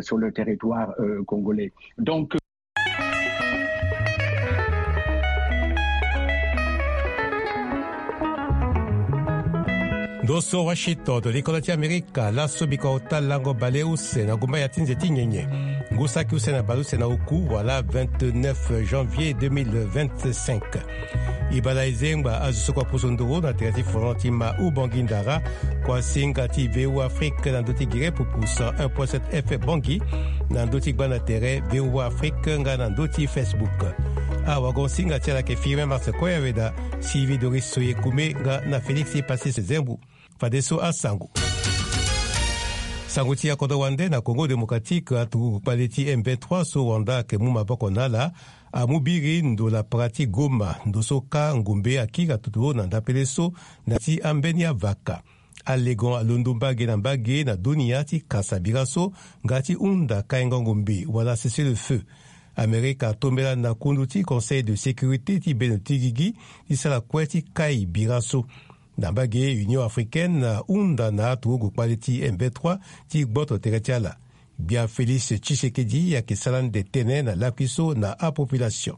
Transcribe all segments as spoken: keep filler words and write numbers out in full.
sur le territoire euh, congolais. Donc, Ndo so Washington, likolo ti Amerika, laso biko ota lango bale use na gumba ya ti nze ti nyenye. Ngu saki use na bale use na oku, wala vingt-neuf janvier deux mille vingt-cinq. E bala e zengba azo so kua pusu nduru na tere ti folon ti ma Ubangui Ndara, kua singa ti V O A Afrique na ndö ti gere pupu cent un point sept F M Bangui, na ndö ti gbanda tere V O A Afrique nga na ndö ti Facebook. Awagon singa ti ala yeke Firmin Marcel Koyaweda, Sylvie Doris Soye Kume nga na Félix Passis Zembu. Fadeso asango. Sango ti akodro wande na Congo Démocratique, aturugu kpale ti M vingt-trois so Rwanda ayeke mu maboko na ala, amu biri ndo lapara ti Goma, ndo so kâ ngombe akiri atutu na ndapele so na ti ambeni avaka. Alegon alondo mbage na mbage na dunia ti kasa bira so nga ti hunda kaingo ngombe wala cessez-le-feu. Amerika atombela na kundu ti Conseil de sécurité ti bendo ti gigi ti sara kue ti kai bira so. Na mbage Union africaine ahunda na aturugu kpale ti M vingt-trois ti gboto tere ti ala. Gbia Félix Tshisekedi ayeke sara ande tënë na lakui so na apopulation.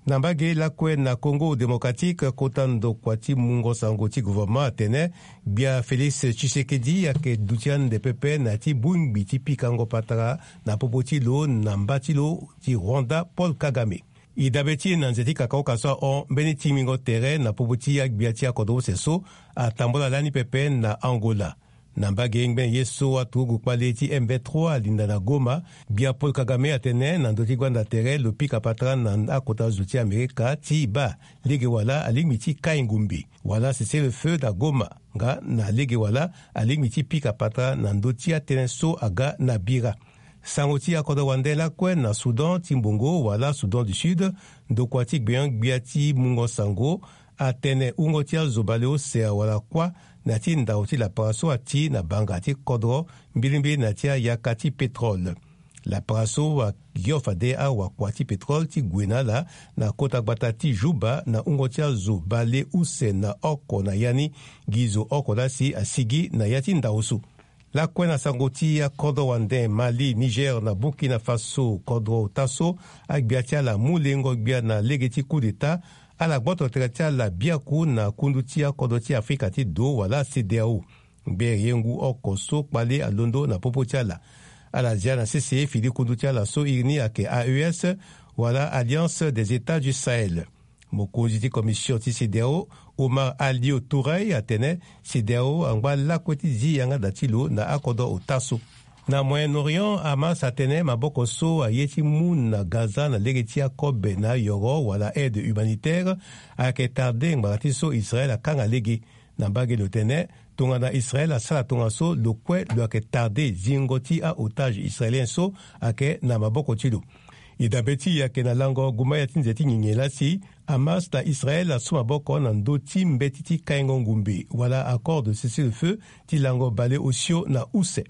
Na mbage lakue na Congo Démocratique, kota ndokua ti mungo sango ti gouvernement atene gbia Félix Tshisekedi ayeke duti ande pepe na ya ti bongbi ti pikango patara na popo ti lo na mba ti lo ti Rwanda Paul Kagame. E dabe ti e na nze ti kakaoka so ahon mbeni tingbingo tere na popo ti agbia ti akodro use so atambola lani pepe na Angola. Na mbage ngbene ye so aturugu kpale ti M vingt-trois alinda na Goma, gbia Paul Kagame atene na ndö ti gbanda tere lo pika patara na akota zo ti Amerika ti baa lege wala alingbi ti kai ngombe wala cessez-le-feu na Goma, nga na lege wala alingbi ti pika patara na ndö ti atënë so aga na bira. Sango ti akodro wande lakue na Soudan ti mbongo wala Soudan du Sud, ndokua ti gbenyo-gbia ti mungo sango atene wungo ti azo baleuse awara kuâ na ya ti ndau ti lapara so ati na banga ti kodro mbilimbili na ya ti ayaka ti pétrole. Lapara so ayo fade awakua ti pétrole ti gue na ala na kota gbata ti Juba na wungo ti azo baleuse na oko na ya ni, gi zo oko laa si asigi na ya ti ndau so. Lakue na sango ti akodro wande, Mali, Niger na Burkina Faso, kodro ota so agbia ti ala mu lengo gbia na lege ti coup d'État, ala gboto tere ti ala biaku na kundu ti akodro ti Afrika ti do wala CEDEAO. Ngbere ye ngu oko so kpale alondo na popo ti ala. Ala zia na sese fini kundu ti ala so iri ni ayeke A E S wala Alliance des États du Sahel. Mokonzi ti commission ti CEDEAO, Omar Alio Touré, atene CEDEAO angba lakue ti zi yanga da ti lo na akodro ota so. Na Moyen-Orient, Hamas atene maboko so aye ti mu na Gaza na lege ti akobe na ayoro wala aide humanitaire ayeke tarde ngbanga ti so Israël akanga lege. Na mbage lo tene tongana Israël asara tongaso, lo kue lo yeke tarde zingo ti a-otage israélien so ayeke na maboko ti lo. E dabe ti e ayeke na lango gumba ya ti nze ti ngingi laa si Hamas na Israël asu maboko na ndö ti mbeti ti kaingo ngumbe wala accord de cessez-le-feu ti lango baleosio na use.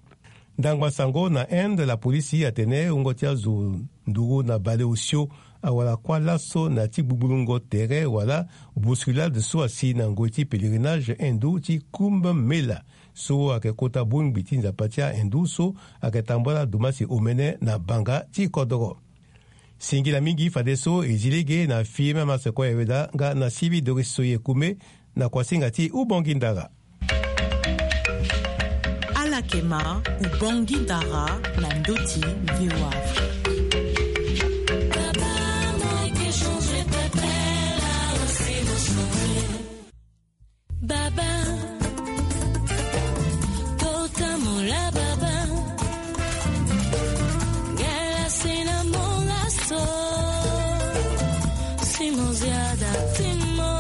Ndangba sango na Inde, lapolisi atene wungo ti azo nduru na baleosio awara kuâ laso na ya ti gbugbulungo tere wala bousculade so asi na ngoi ti pèlerinage hindou ti Kumbh Mela, so ayeke kota bongbi ti nzapa ti ahindou so ayeke tambula dumasi omene na banga ti kodoro. Singila mingi fadeso e zi lege na Firmin Marcel Koyaweda nga na Sylvie Doris Soye Kume na kuasinga ti Ubongi Ndara. Ala yeke ma Ubongi Ndara na ndö ti V O A Afrique. Baba, tota mola baba. Ngala sena mola so. Simo ziada timo.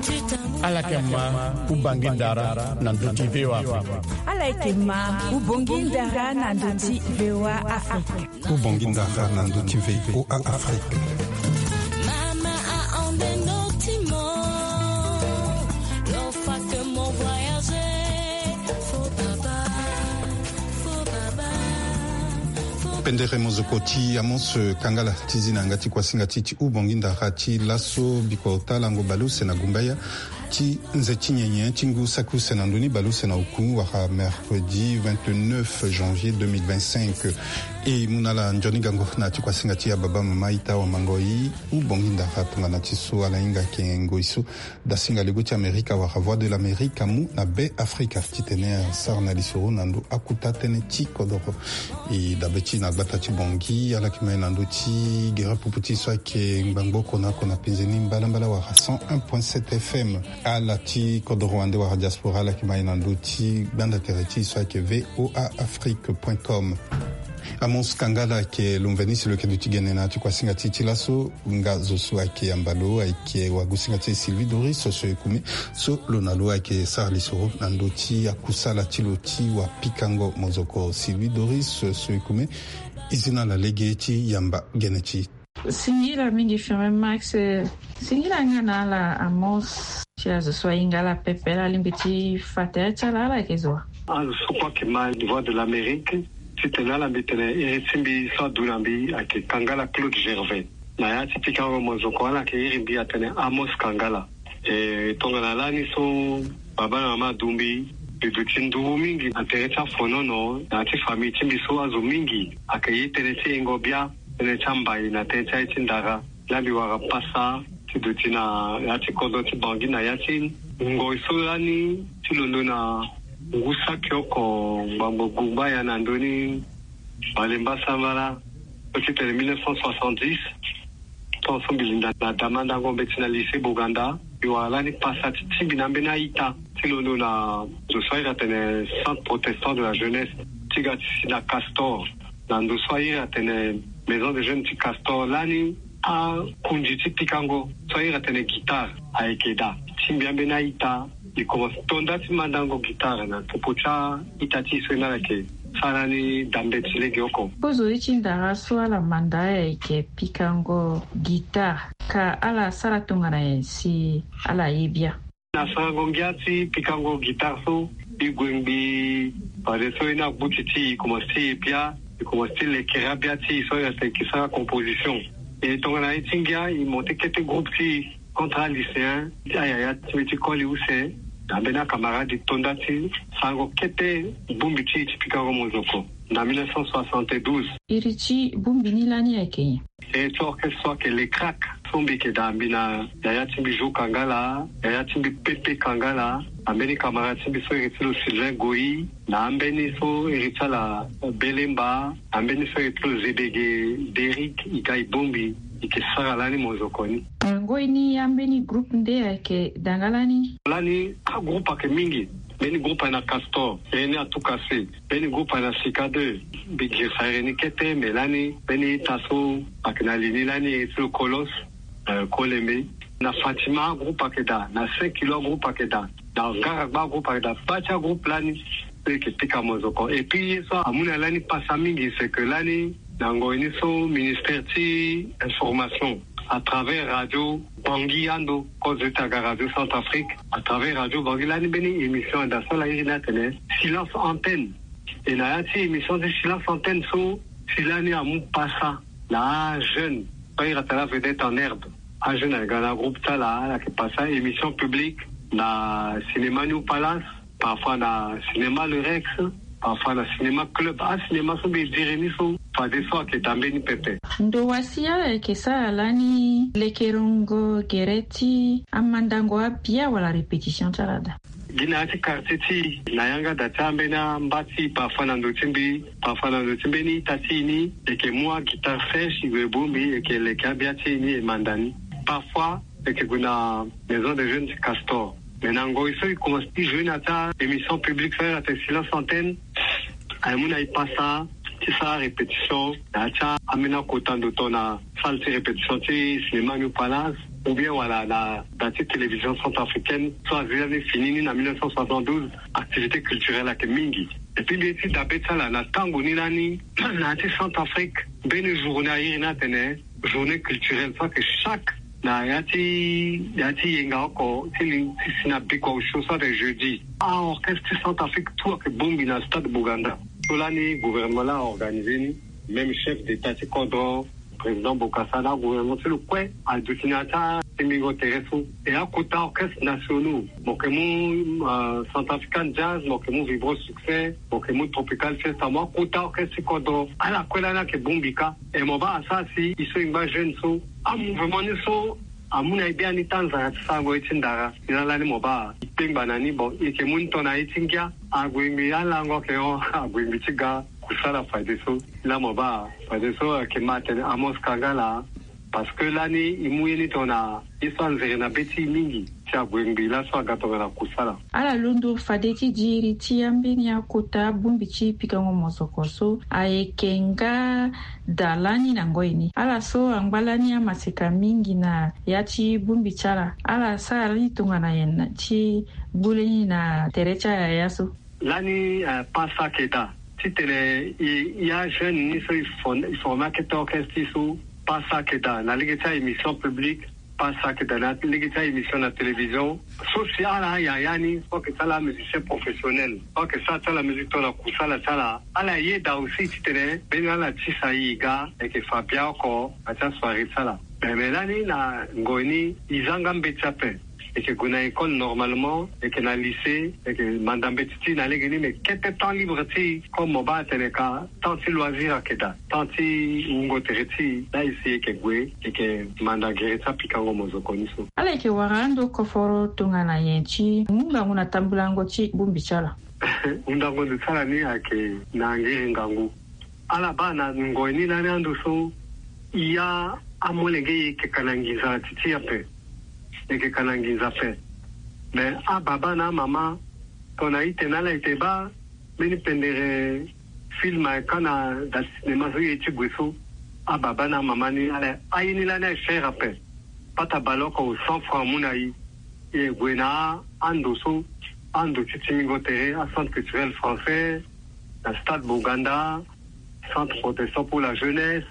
Tita mola. Ala yeke ma Ubongi Ndara na ndö ti V O A Afrique. Ala yeke ma Ubongi Ndara na ndö ti V O A Afrique. Ubongi Ndara na ndö ti V O A Afrique. Mama ahon nde ndö ti mo. Lo fa que mo voyager. Fo baba, fo baba, fo baba. Pendere mozoko ti Amos Kangala ti zi na yanga ti kuasinga ti ti Ubongi Ndara ti laso, biko ota lango baleuse na gumbaya. Ti nze ti nyenye ti ngu saki use na ndö ni baleuse na oku wala mercredi vingt-neuf janvier deux mille vingt-cinq. E mu na ala nzoni gango na ti kuasinga ti ababa mama ita wa mango i. Hu bongi ndara tongana ti so ala hinga yeke ngoi so dasinga lego ti Amerika wala Voix de l'Amérique amu na Be Afrika titene asara na lisoro na ndö akuta tënë ti kodoro. E dabe ti na gbata ti Bangui ala yeke ma ye na ndö ti gere pupu ti so ayeke ngbangbo oko na oko na penze ni mbalambala wala cent un point sept F M. Ala ti kodoro wande wala diaspora ala yeke ma ye na ndö ti gbanda tere ti so ayeke V O A Afrique point com. Amos Kangala ayeke lo mveni si lo yeke duti gene na ya ti kuasinga ti e ti laso. Nga zo so ayeke yamba lo ayeke wagusinga ti e Sylvie Doris so ekume so lo na lo ayeke sara lisoro na ndö ti akusala ti lo ti wapikango mozoko. Sylvie Doris so ekume, e zi na ala lege ti yamba gene ti e. Singila mingi Firmin Max. Singila nga na ala Amos ti azo so ahinga ala pepe, ala lingbi ti fa tere ti ala, ala yeke zo wa? Azo so kue ayeke ma Voix de l'Amérique, titene ala mbi tene iri ti mbi so adu na mbi ayeke Kangala Claude Gervais. Na ya ti pikango mozoko ala yeke iri mbi atene Amos Kangala. E tongana lani so baba na mama adu mbi, mbi duti nduru mingi na tere ti afonono na ya ti famille ti mbi so azo mingi ayeke ye tënë ti yengo bia, tënë ti ambai na tënë ti aye ti ndara. Lani mbi wara pasa ti duti na ya ti kodro ti Bangui na ya ti ngoi so lani ti londo na ngu saki oko ngbangbo gumba ya na ndö ni Balemba Sambala, so ti tene mille neuf cent soixante-dix. Tongaso mbi linda na damandango mbeti na lycée Boganda, mbi wara lani pasa ti tingbi na ambeni a-ita ti londo na zo so airi atene Centre Protestant de la Jeunesse, ti ga ti si na Castor, na ndo so airi atene Maison de Jeunes ti Castor. Lani akunzi ti pikango so airi atene guitare ayeke daa. Tingbi ambeni a-ita, e komanse to nda ti mandango guitare na popo ti a-ita ti e so e na ala yeke sara ni dambe ti lege oko. Kozo ye ti ndara so ala manda ayeke pikango guitare, ka ala sara tongana nyen si ala ye bia? Na sarango ngia ti pikango guitare so, e gue ngbii fadeso e na gbuti ti e, e komanse ti ye bia, e komanse ti lekere abia ti e so ayeke sara composition. E tongana ye ti ngia, e monte kete groupe ti e contre a-lycéen ti ayaya ti mbi ti koli use na ambeni acamarade, e to nda ti sarango kete bongbi ti e ti pikango mozoko na mille neuf cent soixante-douze. Iri ti bongbi ni lani ayeke nyen? E ti orchestre so ayeke Les Cracks, so mbi yeke daa mbi na yaya ti mbi Jo Kangala, yaya ti mbi Pepe Kangala, ambeni camarade ti mbi so iri ti lo Sylvain Goyi, na ambeni so iri ti ala Belemba, ambeni so iri ti lo Zebege Derrick, e ga e bongbi, e yeke sara lani mozoko ni. Na ngoi ni ambeni groupe nde ayeke daa nga lani? Lani agroupe ayeke mingi. Mbeni groupe ayeke na Castor, iri ni Atukase. Mbeni groupe ayeke na Sika deux, mbi girisa iri ni kete, me lani mbeni ita so ayeke na li ni lani iri ti lo Kolos, euh, Kolembe. Na Fatima groupe ayeke daa, na Saint Kilo groupe ayeke daa, na Ngaragba groupe ayeke daa. Baa ti agroupe lani so e yeke pika mozoko. Et puis ye so amu na lani pasa mingi, c'est que lani na ngoi ni so ministère ti information à travers radio Bangui ando, kozo ti aga Radio Centrafrique, à travers radio Bangui lani mbeni émission anda so ala iri ni atene Silence Antenne. E na ya ti émission ti Silence Antenne so, si lani amu pasa na ajeune so airi atene Vedette en herbe. Ajeune ayeke ga na groupe ti ala, ala yeke pasa émission publique na cinéma New Palace, parfois na cinéma Le Rex, parfois na cinéma Club. Acinéma so mbi diri ni so, fadeso ayeke daa mbeni pepe. Ndo wa si ala yeke sara lani lekerengo gere ti amandango abia wala répétition ti ala daa? Gi na ya ti quartier ti e, na yanga daa ti ambeni amba ti e, parfois na ndo ti mbi, parfois na ndo ti mbeni ita ti e ni, e yeke mu aguitare sèche, e gue e bongbi, e yeke leke abia ti e ni, e manda ni. Parfois e yeke gue na Maison des Jeunes ti Castor. Mais na ngoi so e komanse ti jouer na ya ti a-émission publique so airi atene Silence Antenne, aye mu na e pasa ti sara répétition na ya ti ambeni akota ndo tongana salle ti répétition ti cinéma New Palace, ou bien wala na da ti télévision centrafricaine so azi lani fini ni na mille neuf cent soixante-douze. Activité culturelle ayeke mingi. Et puis mbi ye ti dabe ti ala na tango ni lani na ya ti Centrafrique, mbeni journée airi ni atene journée culturelle so ayeke chaque na ya ti, ya ti yenga oko ti li ti si na bikua osio so ayeke jeudi. A-orchestre ti Centrafrique tout ayeke bongbi na stade Boganda. So lani gouvernement laa aorganisé ni, même chef d'état ti kodro, président Bokassa na agouvernement ti lo kue aduti na ya ti ti mbingo tere so. E akota orchestre nationaux, mo yeke mu, euh, centrafrican jazz, mo yeke mu vibro succès, mo yeke mu tropical fiesta, mo akota orchestre ti kodro. Ala kue lani ayeke bongbi kâ. E mo baa asara si e so e ngba jeune so, amouvement ni so amu na e biani ti anzara ti sarango ye ti ndara. Ni laa lani mo baa e kpengba na ni. Bon, e yeke mu ni tongana ye ti ngia. Ague ngbi alango ayeke hon, ague ngbi ti ga kusala fadeso. Laa mo baa fadeso ayeke ma atene Amos Kangala. Parce que lani e mu ye ni tongana ye so anzere na be ti e mingi ti ague ngbi laso aga tongana kusala. Ala londo fade ti diri ti ambeni akota bongbi ti pikango mozoko so ayeke nga daa lani na ngoi ni. Ala so angba lani amaseka mingi na ya ti bongbi ti ala. Ala sara lani tongana nyen ti gbu lani na tere ti ayaya so? Lani, eh, pasa ayeke daa. Titene e, e ajeune ni so e forme akete orchestre so, pasa ayeke daa na lege ti aémission publique. Pasa ayeke daa na lege ti aémission na télévision. So si ala ayaya ni so ayeke ti ala amusicien professionnel, so ayeke sara ti ala musique tongana kusala ti ala, ala yeda aussi titene mbeni ala tisa e ga, e yeke fa bia oko na ti asoirée ti ala. Me, me lani na ngoi ni e zanga mbeti ape. E yeke gue na école normalement, e yeke na lycée, e yeke manda mbeti ti e na lege ni. Me kete temps libre ti e, comme mo baa atene ka, temps ti loisir ayeke daa, temps ti wungo tere ti e. Laa e si e yeke gue, e yeke manda gere ti apikango mozoko ni so. Ala yeke wara ando koforo tongana nyen ti mu ngangu na tambulango ti bongbi ti ala? Hundango ndo ti ala ni ayeke na ngiri ngangu. Ala baa na ngoi ni lani ando so, e ya amolenge e yeke ka na nginza na ti ti e ape. E yeke ka na nginza ape. Me ababa na amama, tongana ite na ala ite baa mbeni pendere film ayeke ka na da ti cinéma so e ye ti gue so, ababa na amama ni ala, aye ni lani aye cher ape. Pata bale oko cent francs amu na e. E gue na ando so, ando ti tingbingo tere, a centre culturel français, na stade Bouganda, centre protestant pour la jeunesse,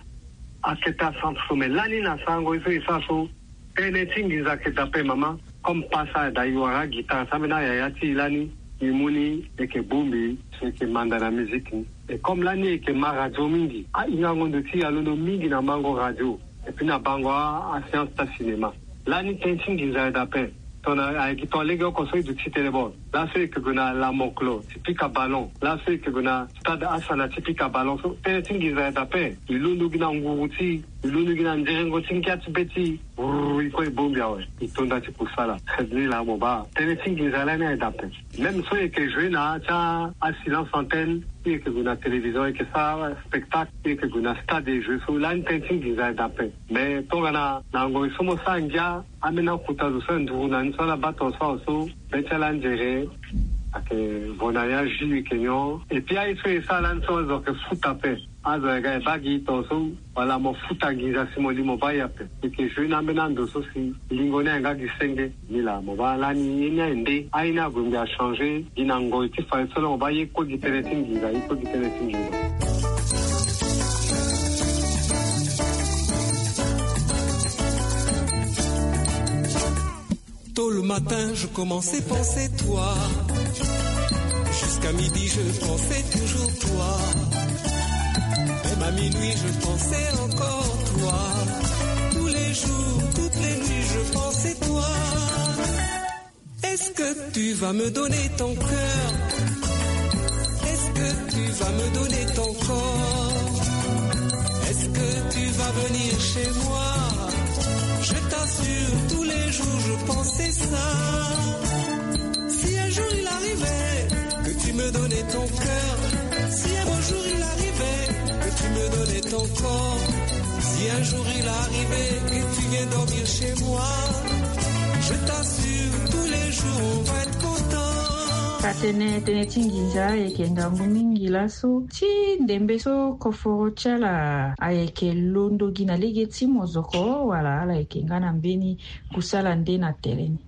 akete acentre so. Me lani na sarango ye so e sara so, tënë ti nginza ayeke daa ape mama. Comme pasa daa, e wara aguitare ti ambeni ayaya ti e lani, e mu ni, e yeke bongbi, e yeke manda na musique ni. Et comme lani e yeke ma radio mingi, a-ingango ndo ti e alondo mingi na mango radio, et puis na bango a, a séance ti a cinéma. Lani tënë ti nginza ayeke daa ape. Tongana ayeke tongana legeoko so e duti tene bon, laso e yeke gue na La Moklo ti pika ballon, laso e yeke gue na stade Asana ti pika ballon so, tënë ti nginza ayeke daa ape. E londo gi na nguru ti e, e londo gi na nzerengo ti ngia ti be ti e. Brrr, e kue e bongbi awe, e to nda ti kusala. Ni laa mo baa tënë ti nginza lani ayeke daa ape. Même so e yeke joue na ya ti a silence antenne, e yeke gue na télévision, e yeke sara spectacle, e yeke gue na stade, e joue so, lani tënë ti nginza ayeke daa ape. Mais tongana na ngoi so mo sara ngia, ambeni akota zo so e nduru na ni so ala baa tongaso awe so, be ti ala anzere ayeke vo na ni, azi e yeke nyon. Et puis aye so e sara lani so azo ayeke futa ape. Azo ayeke ga e baa gi tongaso, wala mo futa nginza si mo li mo baa e ape. E yeke joue na ambeni ando so si lingo ni ayeke nga gi senge. Ni laa mo baa lani ye ni aye nde, aye ni ague ngbi achangé. Gi na ngoi ti fadeso laa mo baa ye kue gi tënë ti nginza, ye kue gi tënë ti nginza. Tôt le matin, je commençais penser toi. Jusqu'à midi, je pensais toujours toi. Même à minuit, je pensais encore toi. Tous les jours, toutes les nuits, je pensais toi. Est-ce que tu vas me donner ton cœur ? Est-ce que tu vas me donner ton corps ? Est-ce que tu vas venir chez moi ? Je t'assure, tous les jours je pensais ça. Si un jour il arrivait que tu me donnais ton cœur, si un beau jour il arrivait que tu me donnais ton corps, si un jour il arrivait que tu viens dormir chez moi, je t'assure, tous les jours on va être content. Tene, tënë ti nginza ayeke ngangu mingi laso. Ti ndembe so koforo ti ala ayeke londo gi na lege ti mozoko, wala ala yeke nga na mbeni kusala nde na tere ni?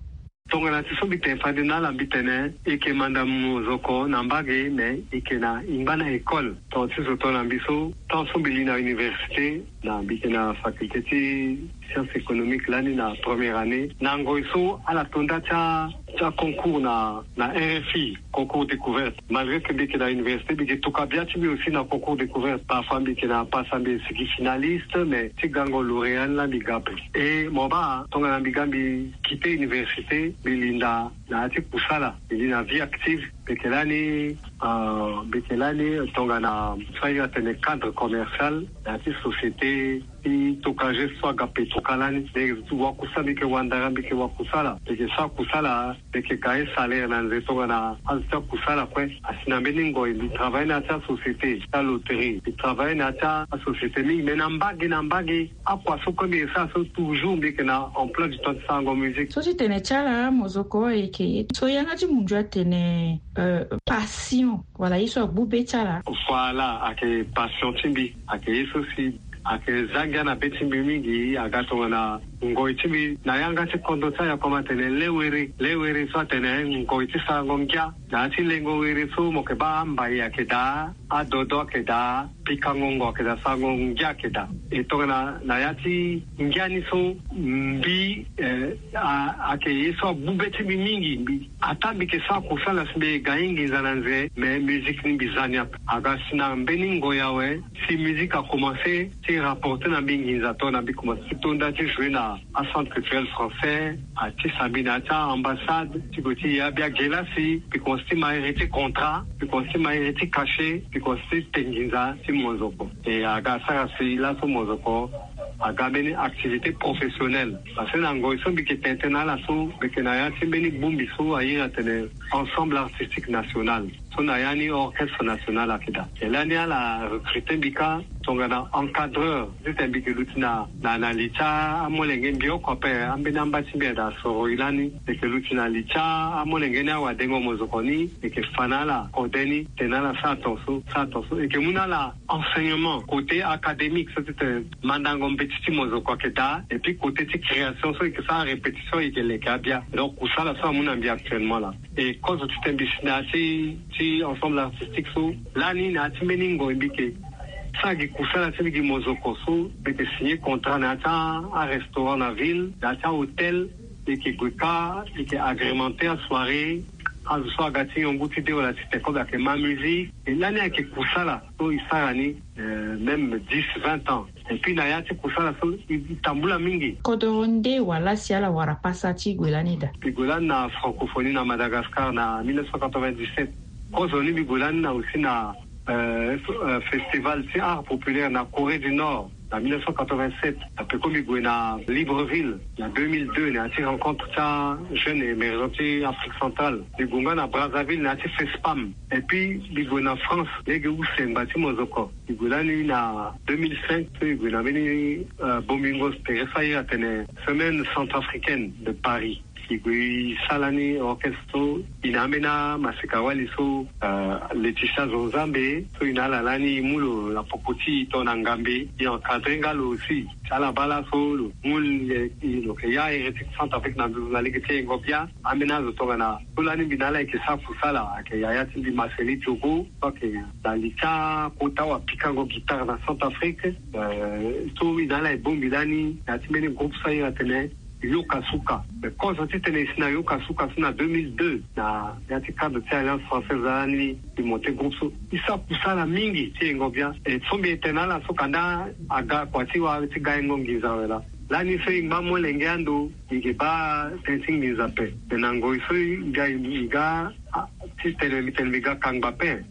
Tongana ti so mbi tene fade na ala, mbi tene e yeke manda mozoko na mbage, me e yeke na e ngba na école. Tongana ti zo tongana mbi so, tant so mbi li na université, na mbi yeke na faculté ti science économique lani na première année. Na ngoi so ala to nda ti a ti a concours na na R F I, concours découverte. Malgré que mbi yeke na université, mbi yeke toka bia ti mbi aussi na concours découverte. Parfois mbi yeke na pasa mbi sigi finaliste, mais ti gango lauréat ni la mbi ga ape. Et mo baa tongana mbi ga mbi quitter université, mbi linda na ya ti kusala, mbi li na vie active. Mbi yeke lani, euh, mbi yeke lani tongana so aye atene cadre commercial na ya ti société ti tokage so aga petroka lani. Mbi yeke wakusala, mbi yeke wandara, mbi yeke wakusala, mbi yeke sara kusala, mbi yeke ga ye salaire na nze tongana azo ti akusala kue. Asi na mbeni ngoi mbi travaille na ya ti asociété ti aloterie, mbi travaille na ya ti asociété mingi, mais na mbage na mbage akua so kue mbi yeke sara so toujours mbi yeke na emploi du temps ti sarango musique. So ti tene ti ala mozoko ayeke so yanga ti mundu atene, euh, passion. Wala ye so agbu be ti ala. Voilà, ayeke passion ti mbi, ayeke ye so si ayeke za ngia na be ti mbi mingi. Aga tongana ngoi ti mbi na yanga ti kodro ti ayakoma atene le were, le were so atene ngoi ti sarango ngia. Na ya ti lengo were so mo yeke baa ambai ayeke daa, adodo ayeke daa, pikango ngo ayeke daa, sarango ngia ayeke daa. E tongana na ya ti ngia ni so mbi, eh, a, ayeke ye so agbu be ti mbi mingi. Mbi, ata mbi yeke sara kusala si mbi ga ye nginza na nze, mais musique ni mbi za ni ape. Aga si na mbeni ngoi awe si musique akomanse ti rapporter na mbi nginza, tongana mbi komanse ti to nda ti jouer na acentre culturel français, atisa mbi na ya ti a-ambassade ti gue ti ya bia ge laa si mbi komanse ti ma iri ti contrat, mbi komanse ti ma iri ti cachet, mbi komanse ti te nginza ti mozoko. E aga asara si laso mozoko aga mbeni activité professionnelle. Parce que na ngoi so mbi yeke tene tënë na ala so, mbi yeke na ya ti mbeni bongbi so airi atene Ensemble Artistique National. So na ya ni orchestre national ayeke daa. E lani ala recruter mbi kâ tongana encadreur. Titene mbi yeke luti na, na, na li ti amolenge mbi oko ape, ambeni amba ti mbi ayeke daa soro e lani. Mbi yeke luti na li ti amolenge ni awadengo mozoko ni, mbi yeke fa na ala kode ni, tene na ala sara tongaso, sara tongaso. E yeke mu na ala enseignement, côté académique, so titene mandango mbeti ti mozoko ayeke daa, et puis côté ti création so e yeke sara répétition e yeke leke abia. Donc kusala so amu na mbi actuellement laa. E kozo titene mbi si na ya ti, ti ensemble artistique so, lani na ya ti mbeni ngoi mbi yeke sara gi kusala ti mbi gi mozoko so, mbi yeke signer contrat na ya ti a, arestaurant na ville, na ya ti ahôtel, mbi yeke gue kâ, mbi yeke agrémenter asoirée, azo so aga ti nyon ngu ti de wala ti tene kobe ayeke ma musique. E lani ayeke kusala so e sara ni, euh, même dix, vingt ans. Et puis na ya ti kusala so e, e tambula mingi. Kodoro nde wala si ala wara pasa ti gue lani daa? E gue lani na francophonie na Madagascar na mille neuf cent quatre-vingt-dix-sept. Kozo ni mbi gue lani na aussi na, euh, euh, festival ti art populaire na Corée du Nord na mille neuf cent quatre-vingt-sept. Après ko mbi gue na Libreville na deux mille deux na ya ti rencontre ti ajeune émergent ti Afrique centrale. Mbi gue nga na Brazzaville na ya ti FESPAM. Et puis mbi gue na France lege use ngba ti mozoko. Mbi gue lani na deux mille cinq so mbi gue na mbeni, euh, bongbingo tere so airi atene Semaine centrafricaine de Paris. Mbi gue e sara lani orchestre so e na ambeni amaseka-wali so, euh, Laetitia Zonzambe, so e na ala lani e mu lo na popo ti e tongana ngambe, e encadrer nga lo aussi. Ti ala baa laso lo mu, lo yeke ya iri ti Centrafrique na nduzu na lege ti yengo bia. Ambeni azo tongana so lani mbi na ala e yeke sara kusala ayeke yaya ti mbi Marceli Diogo, so ayeke na li ti akota wapikango guitare na Centrafrique. Euh, so e na ala e bongbi lani na ya ti mbeni groupe so airi atene Yoka Suka. Mais kozo titene e si na Yoka Suka so na deux mille deux na ya ti cadre ti Alliance Française lani e monter groupe so. E sara kusala mingi ti yengo bia. E so mbi tene na ala so kanda aga kua ti wara ti ga yengo nginza awe laa. Lani so e ngba molenge ando, e yeke baa tënë ti nginza ape. Me na ngoi so e ga, e ga, ah, titene mbi tene mbi ga kangba ape.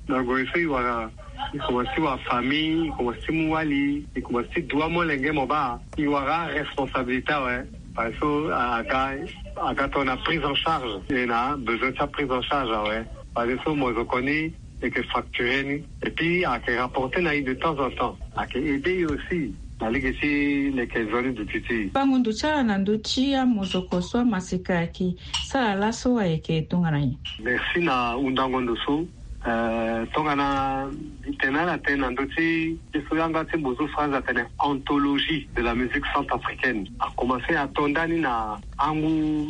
Na ngoi so e wara, e komanse ti wara famille, e komanse ti mu wali, e komanse ti du amolenge mo baa, e wara aresponsabilité awe. Parce que so aga, aga tongana prise en charge, e na besoin ti aprise en charge awe. Parce que so mozoko ni e yeke facturer ni. Et puis ayeke rapporter na e de temps en temps. Ayeke aider e aussi na lege ti leke nzoni duti ti e. Bango ndo ti ala na ndö ti amozoko so amaseka ayeke sara laso ayeke tongana nyen? Merci na hundango ndo so. Euh, tongana mbi tene na ala tënë na ndö ti ye so yanga ti mbozo France atene anthologie de la musique centrafricaine. Akomanse ato ndani na angu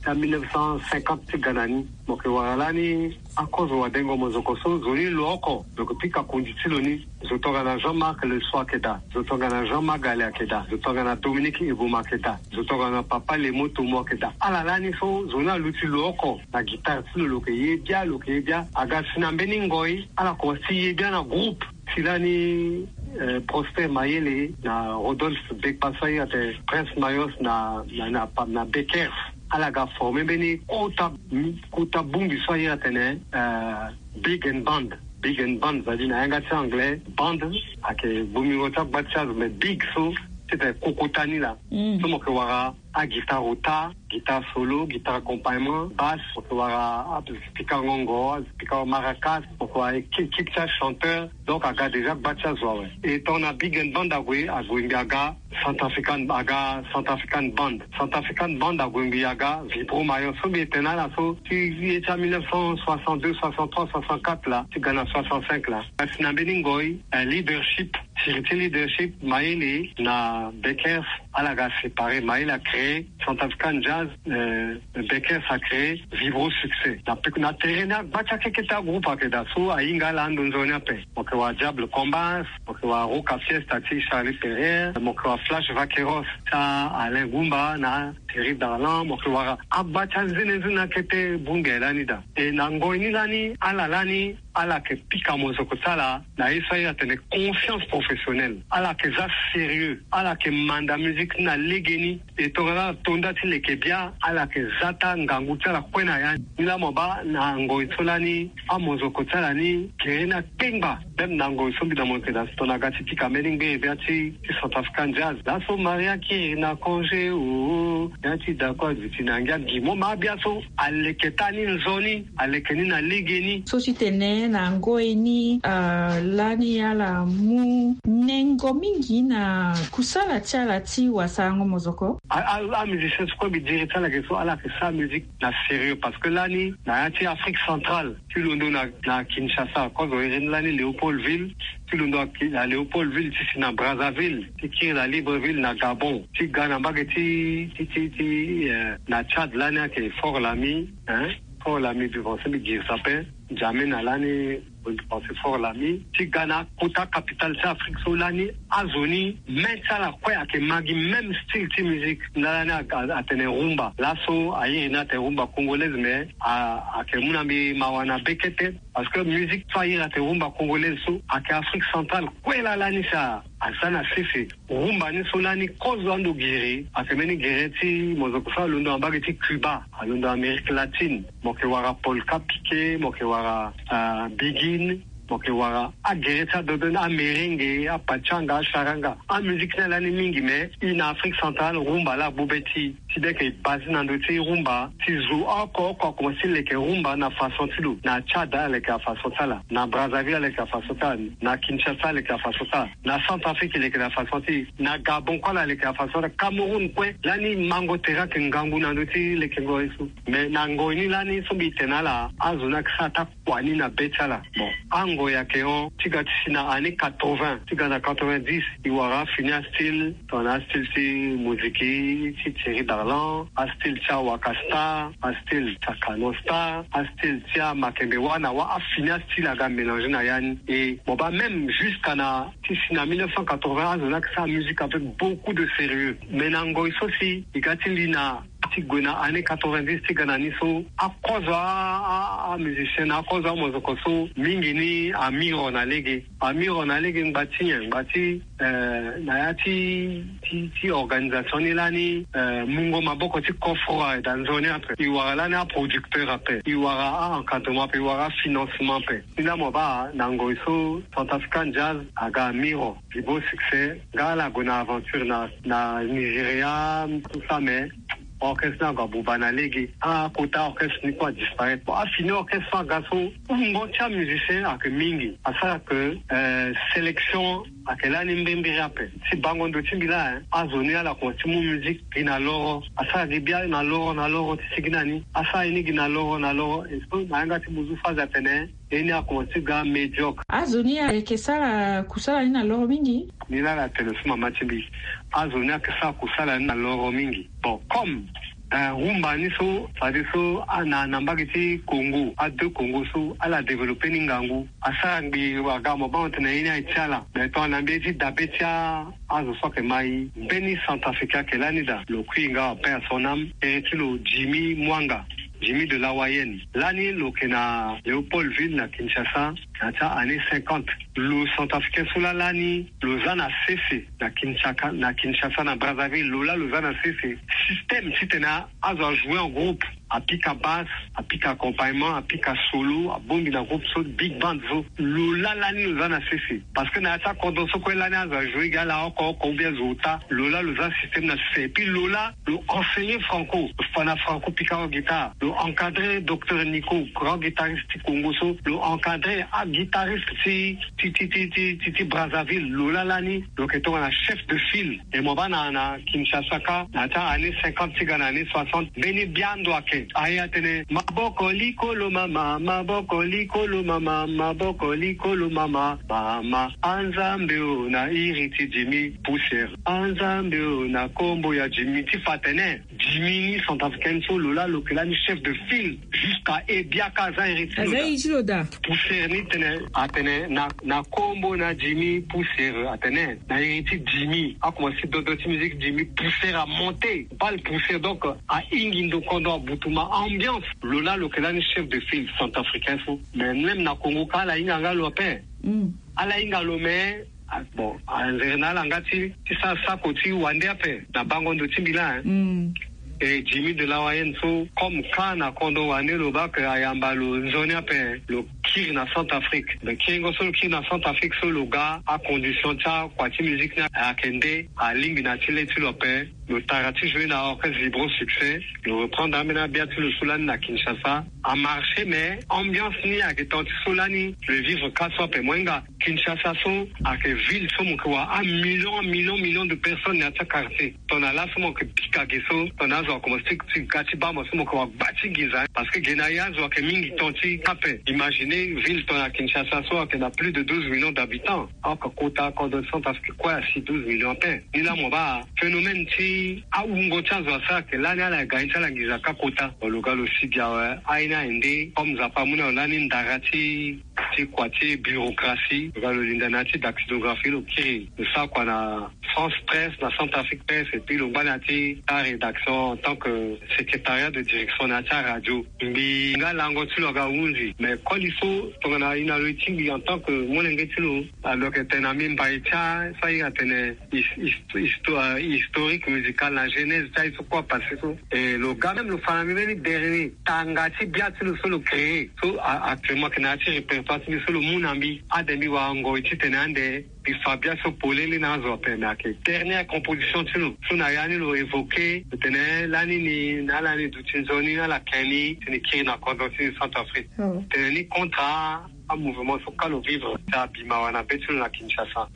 na mille neuf cent cinquante ti ga na ni. Mo yeke wara lani akozo wadengo mozoko so zo ni lo oko lo yeke pika kundi ti lo ni. Zo tongana Jean-Marc Le Soi ayeke daa. Zo tongana Jean Magale ayeke daa. Zo tongana Dominique Eboma ayeke daa. Zo tongana Papa Lemo Tomo ayeke daa. Ala lani so zo ni aluti lo oko na guitare ti lo, lo yeke ye bia, lo yeke ye bia. Aga si na mbeni ngoi ala komanse ti ye bia na groupe. Si lani eh, Prosper Mayele na Rodolphe Bekpa so ahiri atene Prince Mayos na, na, na, na Bekers. Ala ga forme mbeni kota, kota bongbi so ahiri atene eh, Big and Band. Big and Band, c'est-à-dire na yanga ti anglais, band ayeke bongbingo ti agba ti azo, mais big so ti tene kokota ni laa. So mo yeke wara aguitare ota, guitare solo, guitare accompagnement, basse, mo yeke wara apikango ngo, apikango maracas, mo yeke wara équipe ti achanteur. Donc aga déjà gba ti azo awe. E tongana Big and Band ague, ague mbi aga Centrafrican, aga Centrafrican Band. Centrafrican Band ague mbi aga Vibro Mayos so mbi tene na ala so ti ye ti a mille neuf cent soixante-deux, soixante-trois, soixante-quatre laa ti ga na soixante-cinq laa. Kasi na mbeni ngoi eh, leadership, siri ti leadership Mayele na Bekers, ala ga séparé. Mayele acréé Centrafrican Jazz, eh, Bekers acréé Vibro Succès. Na pe na tere ni agba ti akeke ti agroupe ayeke daa so ahinga ala ando nzoni ape. Mo yeke wara Diable Combas, mo yeke wara Roca Fiesta ti Charlie Perrier, mo yeke wara Flash Vaqueros ti Alain Goumba na Thierry Darlan, mo yeke wara agba ti anzenenzene akete bongbi aye lani daa. E na ngoi ni lani ala lani ala yeke pika mozoko ti ala na ye so ahiri atene conscience professionnelle. Ala yeke za sérieux, ala yeke manda musique ni na legeni. E tongana ala to nda ti leke bia, ala yeke za taa ngangu ti ala kue na ya ni. Ni laa mo baa na ngoi so lani amozoko ti ala ni gere ni akpengba. Même na ngoi so mbi na mo yeke daa so tongana aga ti pika mbeni ngbere bia ti ti Centrafrican Jazz. Laso Maria kiri na congé o, ya ti d'accord duti na ngia gi mo ma abia so aleke taa ni nzoni, aleke ni na legeni. So ti tene na ngoi ni ah, lani ala mu nengo mingi na kusala ti ala ti wasarango mozoko. A- a- amusicien so kue mbi diri ti ala yeke so ala yeke sara musique na sérieux, parce que lani na ya ti Afrique centrale, ti londo na, na Kinshasa, kozo iri ni lani Léopoldville, ti londo na Ki- na Léopoldville ti si na Brazzaville, ti kiri na Libreville na Gabon, ti ga na mbage ti ti ti ti eh, na Tchad lani ayeke Fort Lami, hein, Fort Lami mbi pense mbi girisa ape. N'Djamena lani mbi pense Fort Lami, ti ga na kota capitale ti Afrique so lani azo ni main ti ala kue ayeke ma gi même style ti musique. Nda lani a- a- atene rumba. Laso ahiri ni atene rumba congolaise, mais a- ayeke mu na mbi mawa na bekete. Parce que musique so ahiri atene rumba congolaise so ayeke Afrique centrale kue laa lani si a- aza na sese. Rumba ni so lani kozo ando giri ayeke mbeni gere ti mozoko so alondo na mbage ti Cuba, alondo na Amérique latine. Mo yeke wara polka piqué, mo yeke wara ah, biguine, mo yeke wara agere ti adodo ni, amerengue, apachanga, acharanga. Amusique ni alani mingi, mais i na Afrique centrale rumba laa agbu be ti i. Ti be yeke e base na ndö ti rumba ti zo oko oko akomanse ti leke rumba na façon ti lo. Na Tchad aleke na façon ti ala, na Brazzaville aleke na façon ti ala, na Kinshasa aleke na façon ti ala, na Centrafrique e leke na façon ti e, na Gabon kue ala leke na façon ti ala, Cameroun kue. Lani mango tere ayeke ngangu na ndö ti lekengo ye so. Mais na ngoi ni lani so mbi tene na ala, azo ni ayeke sara taa kua ni na be ti ala. Bon, angoi ayeke hon ti ga ti si na année quatre-vingts ti ga na quatre-vingt-dix, e wara afini astyle, tongana astyle ti Moziki ti Thierry Darlan, astyle ti Awaka Star, astyle ti Akano Star, astyle ti Amakembe Wa na Wa, afini astyle aga mélanger na ya ni. Et bon, bah, même jusqu'à na ti si na mille neuf cent quatre-vingts, azo ni ayeke sara musique avec beaucoup de sérieux. Mais na ngoi so si e ga ti li na ti gue na année quatre-vingt-dix ti ga na ni so, akozo a- a- amusicien na akozo amozoko so mingi ni amiro na lege. Amiro na lege ngba ti nyen? Ngba ti eh, na ya ti ti ti organisation ni lani, eh, mungo maboko ti coffre aye daa nzoni ape. E wara lani aproducteur ape, e wara a-encadrement ape, e wara afinancement ape. Ni laa mo baa na ngoi so Centrafrican Jazz aga amiro. Vibro Succès, nga ala gue na aventure na, na Nigeria, tout ça, mais orchestre ni ague abuba na lege. Akota orchestre ni kue adisparaître. Bon, afini orchestre so aga so, wungo ti amusicien ayeke mingi. Asara ke eh, sélection ayeke lani mbirimbiri ape. Ti bango ndo ti mbi laa, hein, azo ni ala komanse ti mu musique gi na loro. Asara gi bia na loro na loro ti si gi na ni. Asara ye ni gi na loro na loro. Et so na yanga ti buzu phase atene ye ni akomanse ti ga médiocre. Azo ni ayeke sara kusala ni na loro mingi. Ni laa na tene so mama ti mbi. Azo ni ayeke sara kusala ni na loro mingi. Bon, comme Eh, rumba ni so, fade so, ah, na, na mbage ti Congo, a deux Congo so, ala développer ni ngangu. Asara ngbi waga mo bango tene ye ni aye ti ala. Mais tongana mbi ye ti dabe ti a, azo so ayeke mai. Mbeni centrafricain ayeke lani daa. Lo kui nga, paix à son âme. Iri ti lo Jimmy Mwanga. Jimmy de Lawayenne. Lani lo yeke na Léopoldville na Kinshasa. Na ya ti a-année cinquante. Lo centrafricain so laa lani, lo za na sese na Kinshasa, na Kinshasa, na Brazzaville, lo laa lo za na sese. Système titene azo ajoue en groupe, apika basse, apika accompagnement, apika solo, abongbi na groupe so, big band so. Lo laa lani lo za na sese. Parce que na ya ti akodro so kue lani azo ajoue gi ala oko oko ou bien zo ota, lo laa lo za système na sese. Et puis lo laa lo enseigner Franco. Fa na Franco pika oko guitare. Lo encadrer Docteur Nico, grand guitariste ti Congo so. Lo encadrer aguitariste ti, ti, ti, ti, ti, ti, ti Brazzaville. Lo laa lani lo yeke tongana chef de file. E mo baa na, na Kinshasa kâ, na ya ti a-année cinquante ti ga na année soixante. Mbeni bia ndo ayeke. Aye atene, maboko likolo mama, maboko likolo mama, maboko likolo mama, mama. Anzambe o, na iri ti Jimmy Poussière. Anzambe o, na kombo ya Jimmy. Ti fa atene Jimmy ni centrafricain so lo laa lo yeke lani chef de file. Jusqu'à Ebiaka aza iri ti lo daa. Aza iri ti lo daa. Poussière ni tene, atene na, na kombo na Jimmy Poussière, atene na iri ti Jimmy. Akomanse dodo ti musique Jimmy Poussière amonte. Bal Poussière, donc, ahingi ndo kondo, abutuma ambiance. Lo laa lo yeke lani chef de file centrafricain so. Mais même na Congo kâ ala hinga nga lo ape. Mm. Ala hinga lo mais Ah, bon, anzere na ala nga ti, ti sara sako ti wande ape na bango ndo ti mbi laa, hein. Mm. E Jimmy de Lawayenne so, comme kâ na kondo wande lo baa ke ayamba lo nzoni ape, lo kiri na Centrafrique. Mais kiringo so lo kiri na Centrafrique so lo ga, acondition ti akua ti musique ni ayeke nde, alingbi na ti le ti lo ape. Lo tara ti jouer na orchestre Vibro Succès. Lo reprendre ambeni abia ti lo so lani na Kinshasa. Amarché, mais ambiance ni ayeke tant ti so lani. Lo vivre kâ so ape, mo hinga Kinshasa so ayeke ville so mo yeke wara amillion, amillion, million de personnes na ya ti quartier. Tongana laso mo yeke pika ge so, tongana azo akomanse ti ga ti baa mo so mo yeke wara gba ti nginza. Parce que ge na ye azo ayeke mingi tant ti ape. Imagine ville tongana Kinshasa so ayeke na plus de douze millions d'habitants. Oko kota kodro ti Centrafrique kue asi douze millions ape. Ni laa mo baa phénomène ti awungo ti azo asara ayeke lani ala ga ye ti ala nginza kâ kota. Lo ga lo sigi awe, aye ni aye nde, comme Nzapa amu na lo lani ndara ti, ti kua ti bureaucratie. Lo ga lo linda na ya ti dactylographie lo kiri. Lo sara kua na France Presse, na Centrafrique Presse, et puis lo ngba na ya ti ta rédaction en tant que secrétariat de direction na ya ti aradio. Mbi nga lango ti lo aga ahunzi. Mais koli so tongana e na lo e tingbi en tant que molenge ti lo, ah, lo yeke tene na mbi mbai ti a, so ahinga atene his-, his-, histo-, ah, historique musical na genèse ti aye so kue apassé so. E lo ga même lo fa na mbi mbeni dernier tanga ti bia ti lo so lo créé. So, ah, actuellement ayeke na ya ti répertoire ti mbi so lo mu na mbi. Ade mbi wara ngoi titene ande mbi fa bia so polele na azo ape, mais ayeke dernière composition ti lo. So na ya ni lo évoqué, lo tene lani ni, na ala ni duti nzoni, na ala ken ni, tene kiri na kodro ti ni Centrafrique. Oh. Tene ni contre amouvement so kâ lo vivre, ti abi mawa na be ti lo na Kinshasa.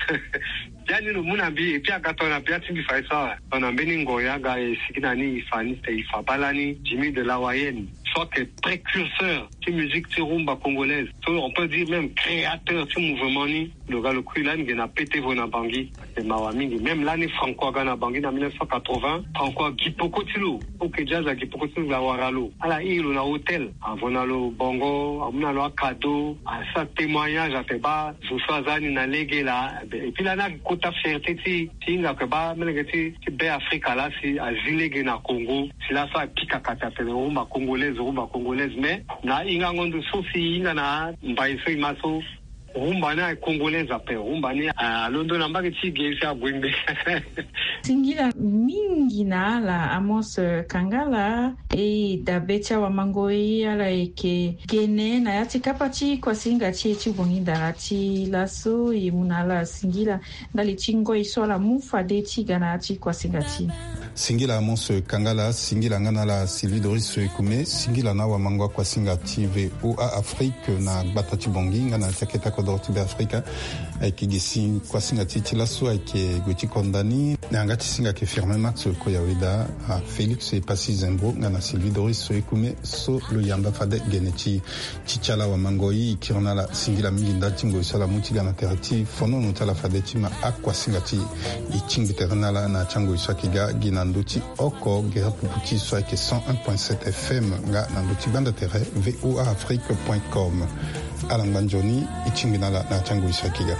Bia ni lo mu na mbi, et puis aga tongana bia ti mbi fa ye so awe. Tongana mbeni ngoi aga e sigi na ni e fa ni, tene e fa baa lani Jimmy de Lawayenne. So ayeke précurseur ti musique ti rumba congolaise. So on peut dire même créateur ti mouvement ni. Lo ga lo kui lani ge na P T Vo na Bangui. Ayeke mawa mingi. Même lani Franco aga na Bangui na mille neuf cent quatre-vingts, Franco agi peko ti lo. Oke jazz agi peko ti lo, awara lo. Ala iri lo na hôtel. Avo na lo bongo, amu na lo acadeau, asara témoignage, atene baa zo so aza ni na lege laa. Et puis lani agi kota fierté ti, ti hinga ayeke baa melenge ti, ti Be Afrika laa si azi lege na Congo. Si laso apika kati atene rumba congolaise, rumba congolaise. Mais na hingango ndo so si e hinga na mbai so e ma so, rumba ni ayeke congolaise ape. Rumba ni, ah, alondo na mbage ti ge si ague mbe. Singila mingi na ala, Amos, eh, Kangala, e dabe ti awamangoi ala yeke gene na ya ti kapa ti kuasinga ti e ti bongi ndara ti laso. E mu na ala singila ndali ti ngoi so ala mu fade ti ga na ya ti kuasinga ti e. Singila Amos Kangala, singila nga na ala Sylvie Doris Ekume, singila na awamango akuasinga ti V O A Afrique na gbata ti Bangui nga na ya ti akete kodro ti Be Afrika. Ayeke gi si kuasinga ti e ti laso ayeke gue ti konda ni. Na yanga ti singa ayeke Firmin Max Koyaweda, ah, Félix Epassi Zembro nga na Sylvie Doris Ekume so lo yamba fade gene ti ti ti ala wamango e. E kiri na ala singila mingi ndali ti ngoi so ala mu ti ga na tere ti fonono ti ala fade ti ma akuasinga ti e. E tingbi tere na ala na ya ti angoi so ayeke ga gi na ndö ti oko gere pupu ti so ayeke cent un point sept F M nga na ndö ti gbanda tere V O A Afrique point com. Ala ngba nzoni, e tingbi na ala na ya ti angoi so ayeke ga.